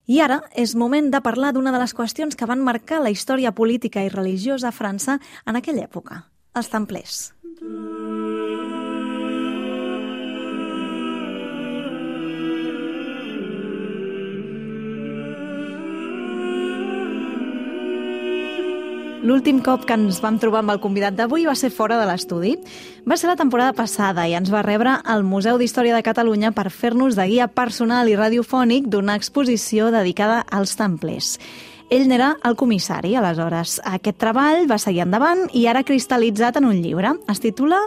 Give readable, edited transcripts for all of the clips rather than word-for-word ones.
I ara és moment de parlar d'una de les qüestions que van marcar la història política i religiosa a França en aquella època, els templers. L'últim cop que ens vam trobar amb el convidat d'avui va ser fora de l'estudi. Va ser la temporada passada i ens va rebre al Museu d'Història de Catalunya per fer-nos de guia personal i radiofònic d'una exposició dedicada als templers. Ell n'era el comissari, aleshores. Aquest treball va seguir endavant i ara cristal·litzat en un llibre. Es titula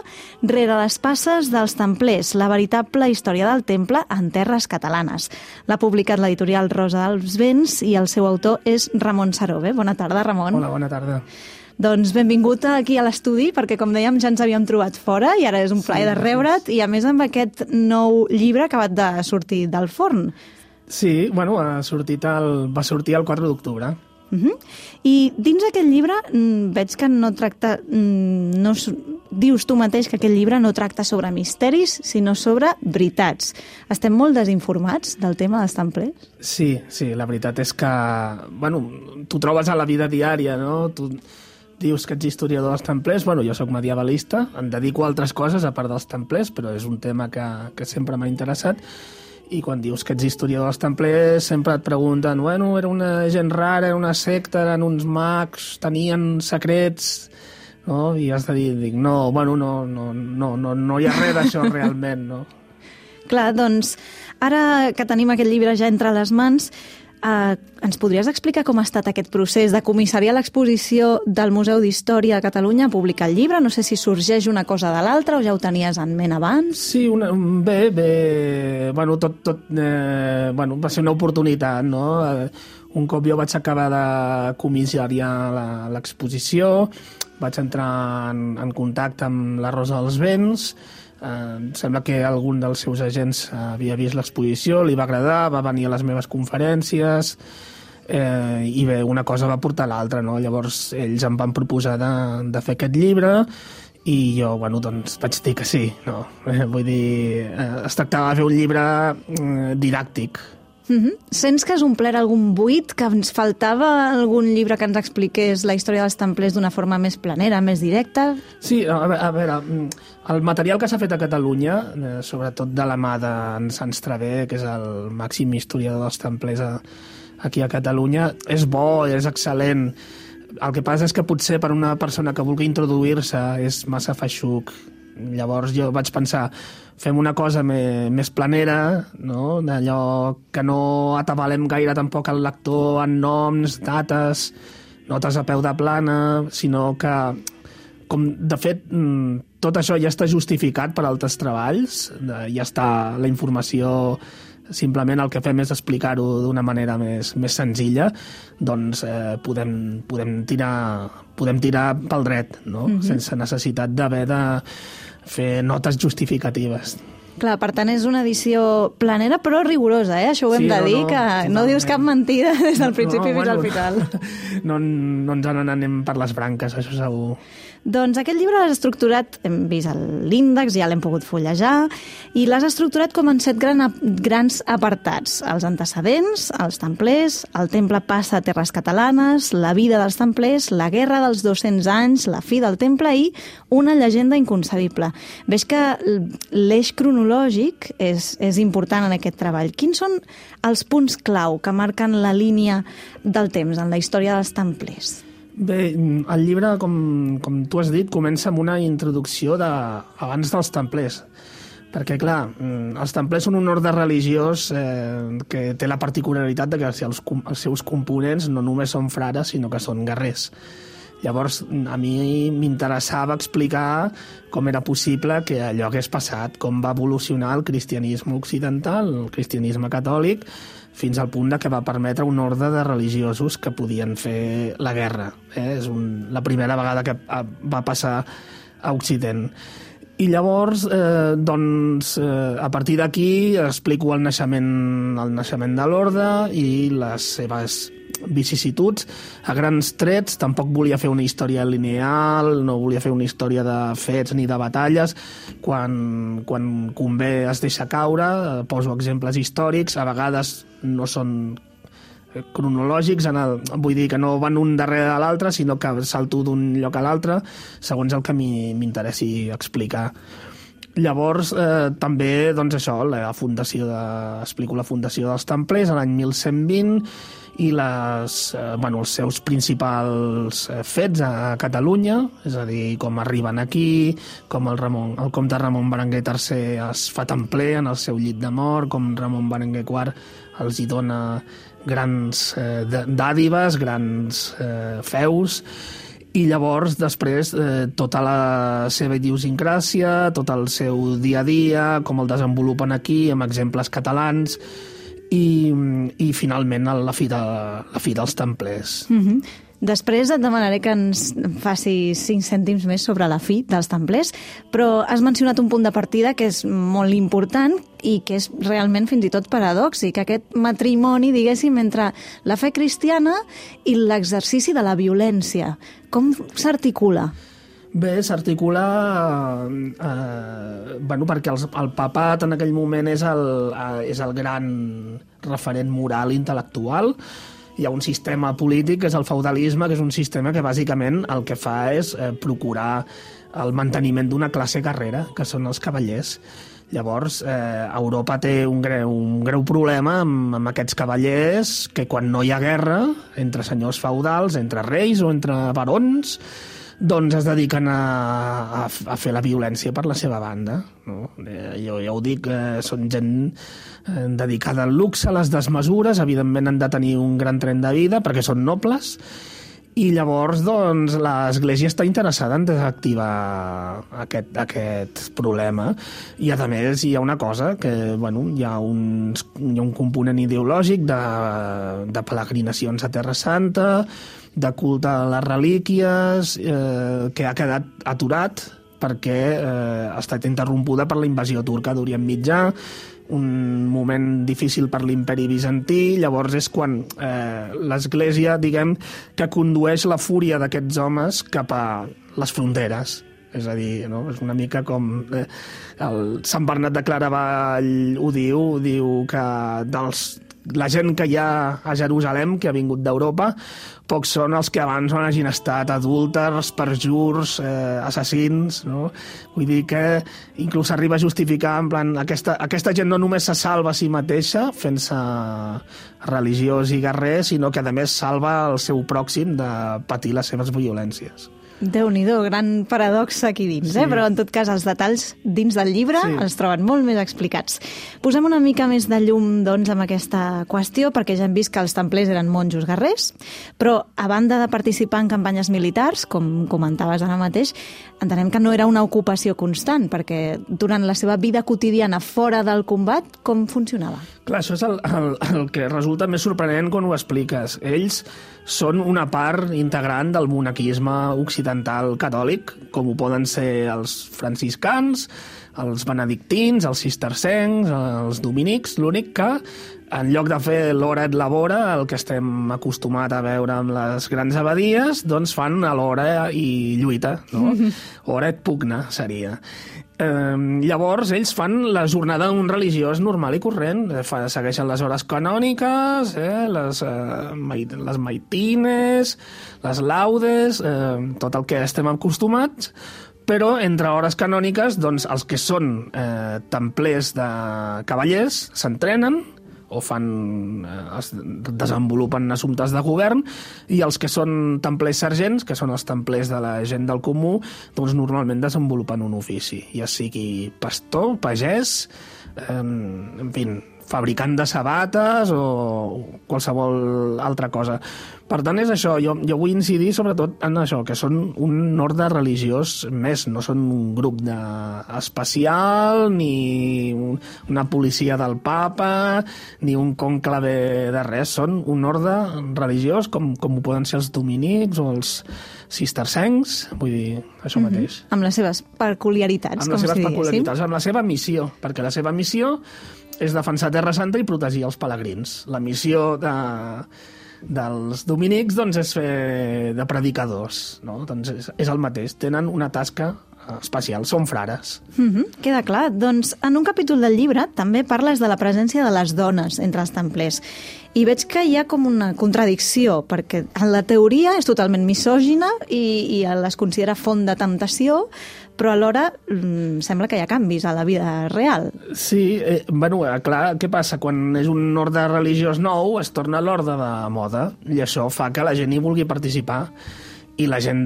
Rere les passes dels templers, la veritable història del temple en terres catalanes. L'ha publicat l'editorial Rosa dels Vents i el seu autor és Ramon Sarobe. Bona tarda, Ramon. Hola, bona tarda. Doncs benvingut aquí a l'estudi, perquè com dèiem ja ens havíem trobat fora i ara és un plaer de rebre't i a més amb aquest nou llibre acabat de sortir del forn. Sí, bueno, va sortir el 4 d'octubre. I dins aquest llibre veig que no tracta... dius tu mateix que aquest llibre no tracta sobre misteris, sinó sobre veritats. Estem molt desinformats del tema dels templers? Sí, la veritat és que... Bueno, tu trobes a la vida diària, no? Tu dius que ets historiador dels templers. Bueno, jo sóc medievalista, em dedico a altres coses a part dels templers, però és un tema que sempre m'ha interessat. I quan dius que ets historiador dels templers sempre et pregunten, bueno, era una gent rara, era una secta, eren uns mags, tenien secrets, no? I has de dir, no hi ha res d'això realment, no? Clar, doncs, ara que tenim aquest llibre ja entre les mans, ens podries explicar com ha estat aquest procés de comissariar l'exposició del Museu d'Història de Catalunya a publicar el llibre? No sé si sorgeix una cosa de l'altra o ja ho tenies en ment abans? Sí, bé. Bueno, va ser una oportunitat, no? Un cop jo vaig acabar de comissariar l'exposició, vaig entrar en contacte amb la Rosa dels Vents. Sembla que algun dels seus agents havia vist l'exposició, li va agradar, va venir a les meves conferències i bé, una cosa va portar l'altra, no? Llavors ells em van proposar de fer aquest llibre i jo, doncs vaig dir que sí, no? Vull dir, es tractava de fer un llibre didàctic. Sents que has omplert algun buit, que ens faltava algun llibre que ens expliqués la història dels templers d'una forma més planera, més directa? Sí, a veure, el material que s'ha fet a Catalunya, sobretot de la mà d'en Sants Traver, que és el màxim historiador dels templers aquí a Catalunya, és bo, és excel·lent. El que passa és que potser per una persona que vulgui introduir-se és massa feixuc. Llavors jo vaig pensar, fem una cosa més planera, no? D'allò que no atabalem gaire tampoc el lector en noms, dates, notes a peu de plana, sinó que, com de fet, tot això ja està justificat per altres treballs, ja està la informació, simplement el que fem és explicar-ho d'una manera més senzilla, doncs podem tirar pel dret, no? Sense necessitat d'haver de fer notes justificatives. Clar, per tant, és una edició planera però rigorosa, Això ho hem de dir, que no dius cap mentida des del principi fins al final. No ens n'anem per les branques, això segur. Doncs aquest llibre l'has estructurat, hem vist l'índex, ja l'hem pogut fullejar, i l'has estructurat com en 7 grans apartats. Els antecedents, els templers, el temple passa a terres catalanes, la vida dels templers, la guerra dels 200 anys, la fi del temple i una llegenda inconcebible. Veig que l'eix cronològic és important en aquest treball. Quins són els punts clau que marquen la línia del temps en la història dels templers? Bé, el llibre, com tu has dit, comença amb una introducció abans dels templers. Perquè, clar, els templers són un ordre religiós que té la particularitat de que els seus components no només són frares, sinó que són guerrers. Llavors, a mi m'interessava explicar com era possible que allò hagués passat, com va evolucionar el cristianisme occidental, el cristianisme catòlic, fins al punt que va permetre un ordre de religiosos que podien fer la guerra. És la primera vegada que va passar a Occident. I llavors, a partir d'aquí explico el naixement de l'orde i les seves vicissituds. A grans trets, tampoc volia fer una història lineal, no volia fer una història de fets ni de batalles. Quan convé es deixa caure, poso exemples històrics, a vegades no són cronològics, vull dir que no van un darrere de l'altre, sinó que salto d'un lloc a l'altre segons el que m'interessi explicar. Llavors, també, doncs això, explico la fundació dels Templers a l'any 1120 i els seus principals fets a Catalunya, és a dir, com arriben aquí, com el comte Ramon Berenguer III es fa templer en el seu llit de mort, com Ramon Berenguer IV els hi dona grans dàdives, grans feus, i llavors després tota la seva idiosincràsia, tot el seu dia a dia, com el desenvolupen aquí amb exemples catalans i finalment la fi dels Templers. Després et demanaré que ens facis 5 cèntims més sobre la fi dels Templers, però has mencionat un punt de partida que és molt important i que és realment fins i tot paradòxic, aquest matrimoni, diguéssim, entre la fe cristiana i l'exercici de la violència. Com s'articula? Bé, s'articula perquè el papat en aquell moment és el gran referent moral intel·lectual. Hi ha un sistema polític que és el feudalisme, que és un sistema que bàsicament el que fa és procurar el manteniment d'una classe guerrera, que són els cavallers. Llavors, Europa té un greu problema amb aquests cavallers que quan no hi ha guerra entre senyors feudals, entre reis o entre barons, doncs es dediquen a fer la violència per la seva banda. No? Jo ja ho dic, són gent dedicada al luxe, a les desmesures, evidentment han de tenir un gran tren de vida perquè són nobles, i llavors doncs, l'Església està interessada en desactivar aquest problema. I a més hi ha una cosa, que hi ha un component ideològic de peregrinacions a Terra Santa, de culte a les relíquies, que ha quedat aturat perquè ha estat interrompuda per la invasió turca d'Orient Mitjà, un moment difícil per l'imperi bizantí. Llavors és quan l'Església, diguem, que condueix la fúria d'aquests homes cap a les fronteres. És a dir, no? És una mica com Sant Bernat de Claravall ho diu que la gent que hi ha a Jerusalem, que ha vingut d'Europa, pocs són els que abans no hagin estat adúlters, perjurs, assassins, no? Vull dir que inclús arriba a justificar, en plan, aquesta gent no només se salva a si mateixa fent-se religiós i guerrer, sinó que a més salva el seu pròxim de patir les seves violències. Déu-n'hi-do, gran paradox aquí dins, sí. Però en tot cas els detalls dins del llibre els troben molt més explicats. Posem una mica més de llum, doncs, amb aquesta qüestió, perquè ja hem vist que els templers eren monjos guerrers, però a banda de participar en campanyes militars, com comentaves ara mateix, entenem que no era una ocupació constant, perquè durant la seva vida quotidiana fora del combat, com funcionava? Clar, això és el que resulta més sorprenent quan ho expliques. Ells són una part integrant del monaquisme occidental catòlic, com ho poden ser els franciscans, els benedictins, els cistercencs, els dominics. L'únic que, en lloc de fer l'hora et labora, el que estem acostumats a veure amb les grans abadies, doncs fan l'hora i lluita, no? Hora et pugna, seria. Llavors, ells fan la jornada d'un religiós normal i corrent. Segueixen les hores canòniques, les maitines, les laudes, tot el que estem acostumats, però entre hores canòniques, doncs, els que són templers de cavallers s'entrenen o desenvolupen assumptes de govern, i els que són templers sergents, que són els templers de la gent del comú, doncs normalment desenvolupen un ofici, ja sigui pastor, pagès, en fi, fabricant de sabates o qualsevol altra cosa. Per tant, és això. Jo vull incidir sobretot en això, que són un ordre religiós més, no són un grup especial, ni una policia del papa, ni un conclave de res. Són un ordre religiós com ho poden ser els dominics o els cistercencs, vull dir, això mateix. Amb les seves peculiaritats, com si diguéssim. Amb la seva missió, perquè la seva missió és defensar Terra Santa i protegir els pelegrins. La missió dels dominics, doncs, és fer de predicadors, no? Doncs és el mateix. Tenen una tasca especial, són frares. Queda clar. Doncs en un capítol del llibre també parles de la presència de les dones entre els templers. I veig que hi ha com una contradicció, perquè en la teoria és totalment misògina i les considera font de temptació, però alhora sembla que hi ha canvis a la vida real. Sí, clar, què passa? Quan és un orde religiós nou, es torna l'orde de moda, i això fa que la gent hi vulgui participar, i la gent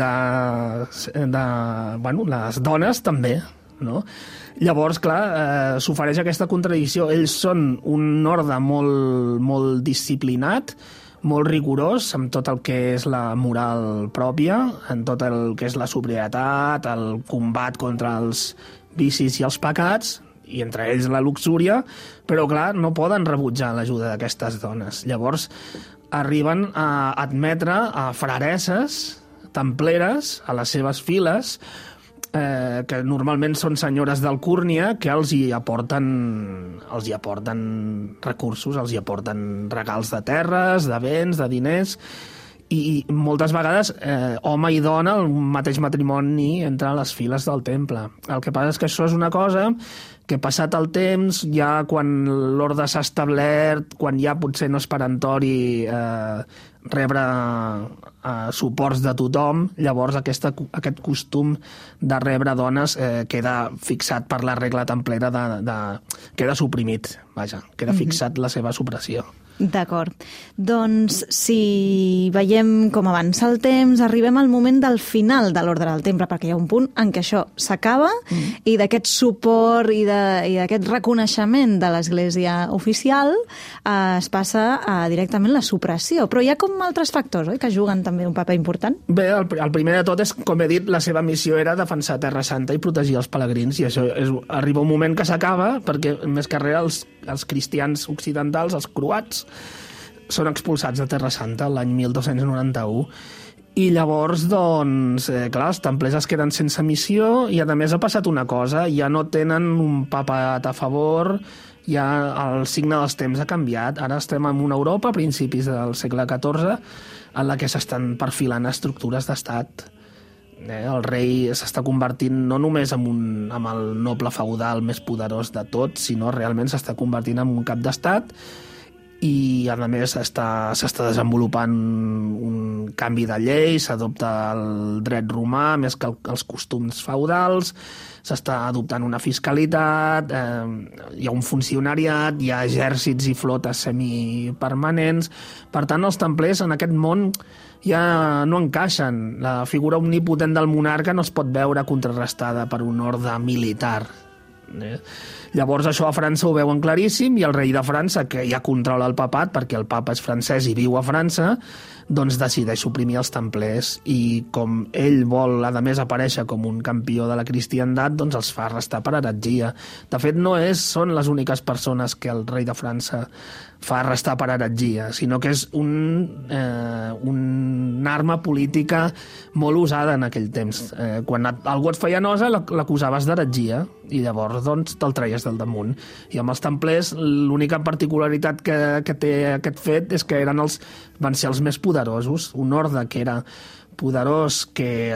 les dones també, no? Llavors, clar, s'ofereix aquesta contradicció. Ells són un orde molt, molt disciplinat, molt rigorós amb tot el que és la moral pròpia, en tot el que és la sobrietat, el combat contra els vicis i els pecats, i entre ells la luxúria, però clar, no poden rebutjar l'ajuda d'aquestes dones. Llavors arriben a admetre a fraresses templeres a les seves files, que normalment són senyores d'alcúrnia, que els hi aporten recursos, els hi aporten regals de terres, de béns, de diners, i moltes vegades home i dona, el mateix matrimoni entre les files del temple. El que passa és que això és una cosa que passat el temps, ja quan l'orde s'ha establert, quan ja potser no és perentori rebre suports de tothom, llavors aquest costum de rebre dones queda fixat per la regla templera, queda suprimit, queda fixat la seva supressió. D'acord. Doncs si veiem com avança el temps, arribem al moment del final de l'ordre del temple, perquè hi ha un punt en què això s'acaba i d'aquest suport i d'aquest reconeixement de l'Església oficial es passa a directament la supressió. Però hi ha com altres factors, oi?, que juguen també un paper important? Bé, el primer de tot és, com he dit, la seva missió era defensar Terra Santa i protegir els pelegrins, i això arriba un moment que s'acaba, perquè més que res els cristians occidentals, els croats, són expulsats de Terra Santa l'any 1291. I llavors, doncs, clar, els templers es queden sense missió, i a més ha passat una cosa, ja no tenen un papat a favor, ja el signe dels temps ha canviat. Ara estem en una Europa, a principis del segle XIV, en la que s'estan perfilant estructures d'estat. El rei s'està convertint no només en el noble feudal més poderós de tot, sinó realment s'està convertint en un cap d'estat, i a més s'està desenvolupant un canvi de llei, s'adopta el dret romà més que els costums feudals, s'està adoptant una fiscalitat, hi ha un funcionariat, hi ha exèrcits i flotes semipermanents. Per tant, els templers en aquest món ja no encaixen. La figura omnipotent del monarca no es pot veure contrarrestada per un ordre militar. Llavors això a França ho veuen claríssim, i el rei de França, que ja controla el papat perquè el papa és francès i viu a França, doncs decideix suprimir els templers, i com ell vol a més aparèixer com un campió de la cristiandat, doncs els fa arrestar per heretgia. De fet, són les úniques persones que el rei de França fa arrestar per heretgia, sinó que és una arma política molt usada en aquell temps. Quan algú et feia nosa, l'acusaves d'heretgia, i llavors doncs te'l treies del damunt. I amb els templers l'única particularitat que té aquest fet és que van ser els més poderosos, un orde que era poderós, que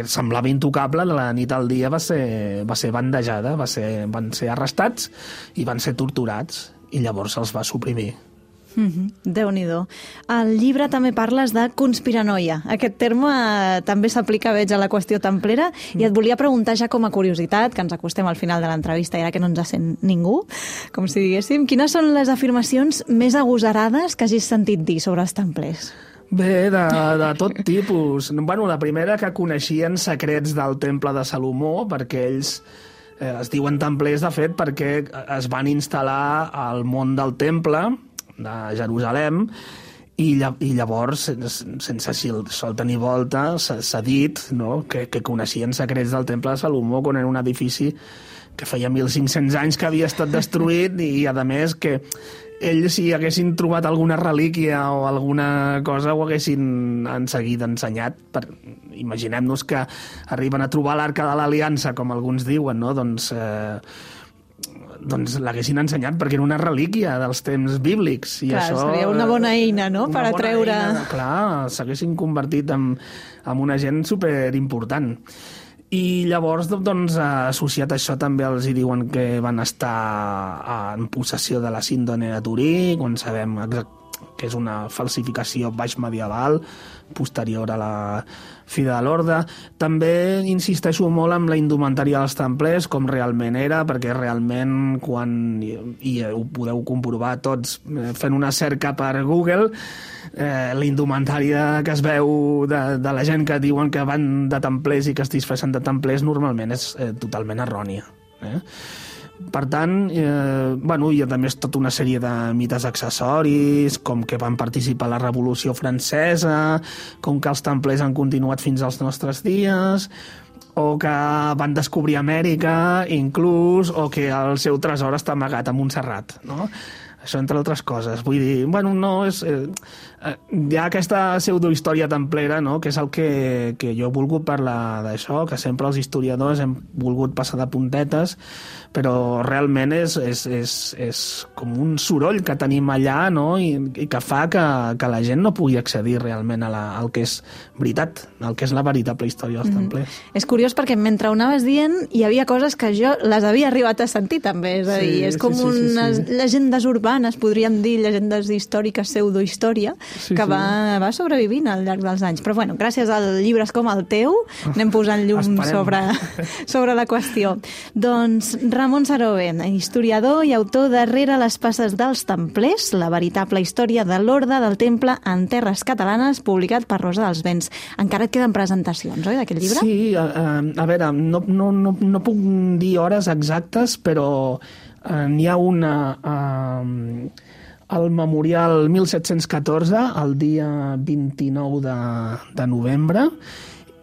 semblava intocable, de la nit al dia va ser bandejada, van ser arrestats i van ser torturats, i llavors se'ls va suprimir. Déu-n'hi-do. Al llibre també parles de conspiranoia. Aquest terme també s'aplica, veig, a la qüestió templera, i et volia preguntar ja com a curiositat, que ens acostem al final de l'entrevista i ara que no ens sent ningú, com si diguéssim, quines són les afirmacions més agosarades que hagis sentit dir sobre els templers? Bé, de tot tipus. La primera, que coneixien secrets del temple de Salomó, perquè ells es diuen templers, de fet, perquè es van instal·lar al món del temple de Jerusalem, i llavors, sense solta ni volta, s'ha dit, no?, que coneixien secrets del temple de Salomó, quan era un edifici que feia 1.500 anys que havia estat destruït, i a més que ells, si haguessin trobat alguna relíquia o alguna cosa, ho haguessin en seguida ensenyat. Imaginem-nos que arriben a trobar l'Arca de l'Aliança, com alguns diuen, no?, doncs l'haguessin ensenyat perquè era una relíquia dels temps bíblics. I clar, això seria una bona eina, no?, per atreure... Clar, s'haguessin convertit en una gent superimportant. I llavors, doncs, associat a això també els hi diuen que van estar en possessió de la síndrome de Turí, quan sabem que és una falsificació baix medieval, posterior a la fi de l'Orde. També insisteixo molt en la indumentària dels templers, com realment era, perquè realment, i ho podeu comprovar tots fent una cerca per Google, la indumentària que es veu de la gent que diuen que van de templers i que es disfressen de templers normalment és totalment errònia. Per tant, hi ha també tota una sèrie de mites accessoris, com que van participar a la Revolució Francesa, com que els templers han continuat fins als nostres dies, o que van descobrir Amèrica, inclús, o que el seu tresor està amagat a Montserrat, no? Això, entre altres coses. Vull dir, no és... hi ha aquesta pseudohistòria templera, no?, que és el que jo he volgut parlar d'això, que sempre els historiadors hem volgut passar de puntetes, però realment és com un soroll que tenim allà, no?, i que fa que la gent no pugui accedir realment al que és veritat, al que és la veritable història dels templers. És curiós perquè mentre ho anaves dient hi havia coses que jo les havia arribat a sentir també, és a dir, és com unes llegendes urbanes, podríem dir llegendes històriques, pseudohistòria, que va sobrevivint al llarg dels anys. Però bueno, gràcies a llibres com el teu anem posant llum sobre la qüestió. Doncs Ramon Sarobe, historiador i autor darrere les passes dels templers, la veritable història de l'Orde del Temple en terres catalanes, publicat per Rosa dels Vents. Encara et queden presentacions, oi, d'aquest llibre? Sí, a veure, no puc dir hores exactes, però n'hi ha una al Memorial 1714, el dia 29 de novembre,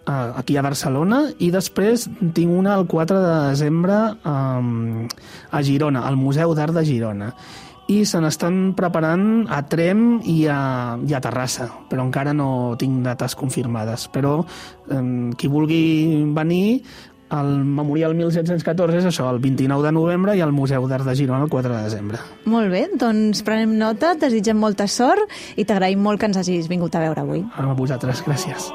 aquí a Barcelona, i després tinc una el 4 de desembre a Girona, al Museu d'Art de Girona. I se n'estan preparant a Tremp i a Terrassa, però encara no tinc dates confirmades. Però qui vulgui venir, el Memorial 1714 és això, el 29 de novembre, i el Museu d'Art de Girona el 4 de desembre. Molt bé, doncs prenem nota, desitgem molta sort i t'agraïm molt que ens hagis vingut a veure avui. A vosaltres, gràcies.